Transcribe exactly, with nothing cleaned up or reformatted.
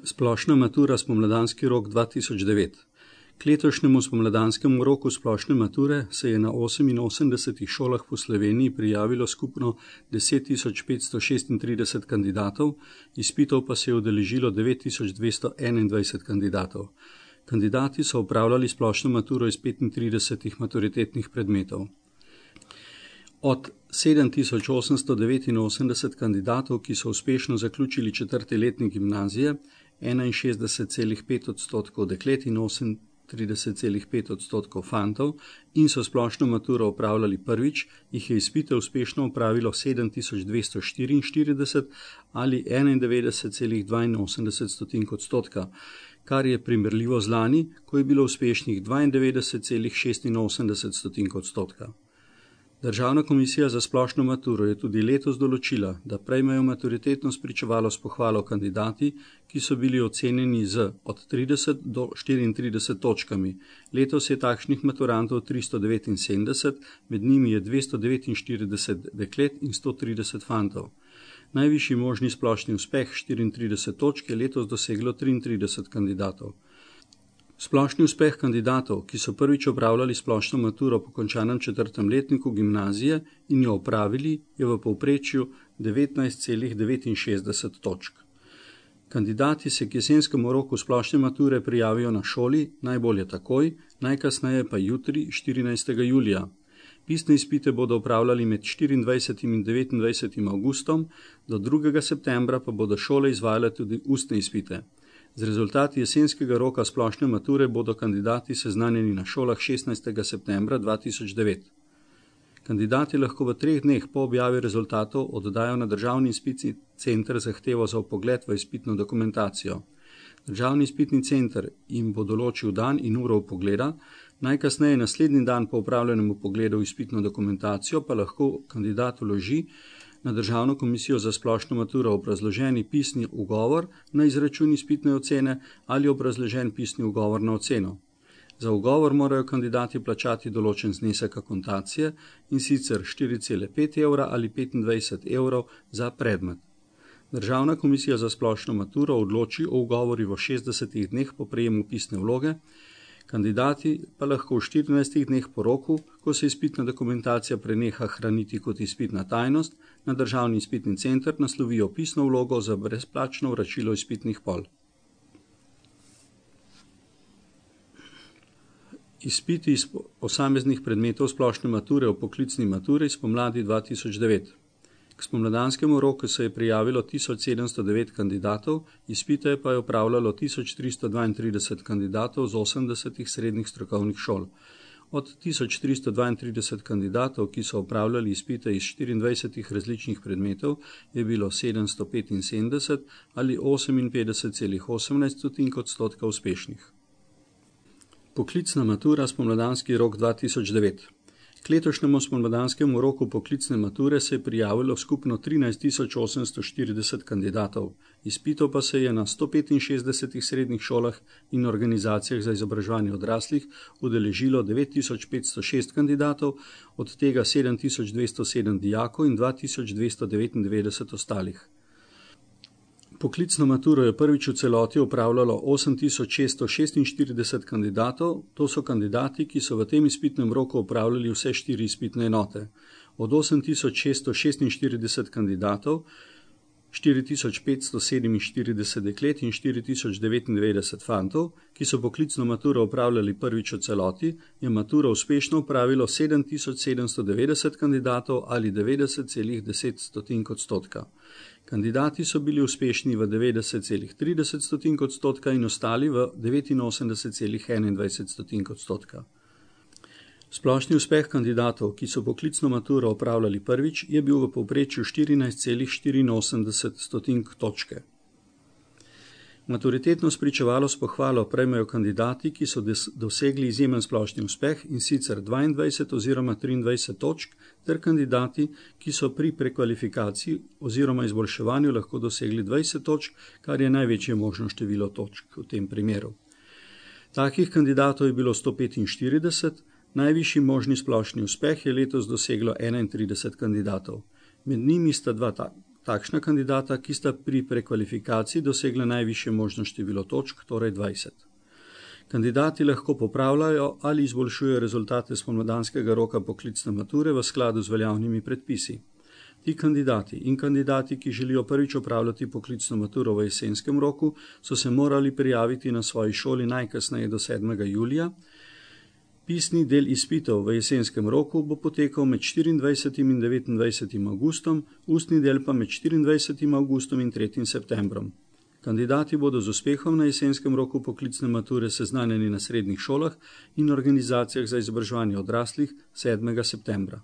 Splošna matura spomladanski rok dva tisoč devet. K letošnjemu spomladanskemu roku splošne mature se je na oseminosemdesetih šolah po Sloveniji prijavilo skupno deset tisoč petsto šestintrideset kandidatov, izpitov pa se je udeležilo devet tisoč dvesto enaindvajset kandidatov. Kandidati so opravljali splošno maturo iz petintridesetih maturitetnih predmetov. Od sedem tisoč osemsto devetinosemdeset kandidatov, ki so uspešno zaključili četrti letnik gimnazije, enainšestdeset celih pet odstotkov deklet in osemintrideset celih pet odstotkov fantov in so splošno maturo opravljali prvič, jih je izpite uspešno opravilo sedem tisoč dvesto štiriinštirideset ali enaindevetdeset celih dvainosemdeset odstotka, kar je primerljivo z lani, ko je bilo uspešnih dvaindevetdeset celih šestinosemdeset odstotka. Državna komisija za splošno maturo je tudi letos določila, da prejmejo maturitetno spričevalo s pohvalo kandidati, ki so bili ocenjeni z od trideset do štiriintrideset točkami. Letos je takšnih maturantov tristo devetinsedemdeset, med njimi je dvesto devetinštirideset deklet in sto trideset fantov. Najvišji možni splošni uspeh štiriintrideset točk je letos doseglo triintrideset kandidatov. Splošni uspeh kandidatov, ki so prvič opravljali splošno maturo po končanem četrtem letniku gimnazije in jo opravili, je v povprečju devetnajst celih devetinšestdeset točk. Kandidati se k jesenskemu roku splošne mature prijavijo na šoli, najbolje takoj, najkasneje pa jutri, štirinajstega julija. Pisne izpite bodo opravljali med štiriindvajsetim in devetindvajsetim avgustom, do drugega septembra pa bodo šole izvajale tudi ustne izpite. Z rezultati jesenskega roka splošne mature bodo kandidati seznanjeni na šolah šestnajstega septembra dva tisoč devet. Kandidati lahko v treh dneh po objavi rezultatov oddajo na Državni izpitni center zahtevo za vpogled v izpitno dokumentacijo. Državni izpitni center jim bo določil dan in uro vpogleda, najkasneje naslednji dan po opravljenem vpogledu v izpitno dokumentacijo pa lahko kandidat vloži na Državno komisijo za splošno maturo obrazloženi pisni ugovor na izračun izpitne ocene ali obrazložen pisni ugovor na oceno. Za ugovor morajo kandidati plačati določen znesek akontacije, in sicer štiri cele pet evra ali petindvajset evrov za predmet. Državna komisija za splošno maturo odloči o ugovori v šestdesetih dneh po prejemu pisne vloge, kandidati pa lahko v štirinajstih dneh po roku, ko se izpitna dokumentacija preneha hraniti kot izpitna tajnost, na Državni izpitni center naslovijo pisno vlogo za brezplačno vračilo izpitnih pol. Izpiti iz posameznih predmetov splošne mature v poklicni maturi spomladi dva tisoč devet. K spomladanskemu roku se je prijavilo tisoč sedemsto devet kandidatov, izpite pa je opravljalo tisoč tristo dvaintrideset kandidatov z osemdesetih srednjih strokovnih šol. Od tisoč tristo dvaintrideset kandidatov, ki so opravljali izpite iz štiriindvajsetih različnih predmetov, je bilo sedemsto petinsedemdeset ali oseminpetdeset celih osemnajst odstotka uspešnih. Poklicna matura spomladanski rok dva tisoč devet. K letošnjemu spomladanskemu roku poklicne mature se je prijavilo skupno trinajst tisoč osemsto štirideset kandidatov, izpitov pa se je na sto petinšestdesetih srednjih šolah in organizacijah za izobraževanje odraslih udeležilo devet tisoč petsto šest kandidatov, od tega sedem tisoč dvesto sedem dijakov in dva tisoč dvesto devetindevetdeset ostalih. Poklicno maturo je prvič v celoti opravljalo osem tisoč šeststo šestinštirideset kandidatov, to so kandidati, ki so v tem izpitnem roku opravljali vse štiri izpitne enote. Od osem tisoč šeststo šestinštirideset kandidatov, štiri tisoč petsto sedeminštirideset deklet in štiri tisoč devetindevetdeset fantov, ki so poklicno maturo opravljali prvič v celoti, je maturo uspešno opravilo sedem tisoč sedemsto devetdeset kandidatov ali devetdeset celih deset odstotka. Kandidati so bili uspešni v devetdeset celih trideset odstotka in ostali v devetinosemdeset celih enaindvajset odstotka. Splošni uspeh kandidatov, ki so poklicno maturo opravljali prvič, je bil v povprečju štirinajst celih štiriinosemdeset točke. Maturitetno spričevalo s pohvalo prejmejo kandidati, ki so dosegli izjemen splošni uspeh, in sicer dvaindvajset oziroma triindvajset točk, ter kandidati, ki so pri prekvalifikaciji oziroma izboljševanju lahko dosegli dvajset točk, kar je največje možno število točk v tem primeru. Takih kandidatov je bilo sto petinštirideset, najvišji možni splošni uspeh je letos doseglo enaintrideset kandidatov. Med njimi sta dva takšna kandidata, ki sta pri prekvalifikaciji dosegla najvišje možno število točk, torej dvajset. Kandidati lahko popravljajo ali izboljšujejo rezultate spomladanskega roka poklicne mature v skladu z veljavnimi predpisi. Ti kandidati in kandidati, ki želijo prvič opravljati poklicno maturo v jesenskem roku, so se morali prijaviti na svoji šoli najkasneje do sedmega julija. Pisni del izpitov v jesenskem roku bo potekal med štiriindvajsetim in devetindvajsetim avgustom, ustni del pa med štiriindvajsetim avgustom in tretjim septembrom. Kandidati bodo z uspehom na jesenskem roku poklicne mature seznanjeni na srednjih šolah in organizacijah za izobraževanje odraslih sedmega septembra.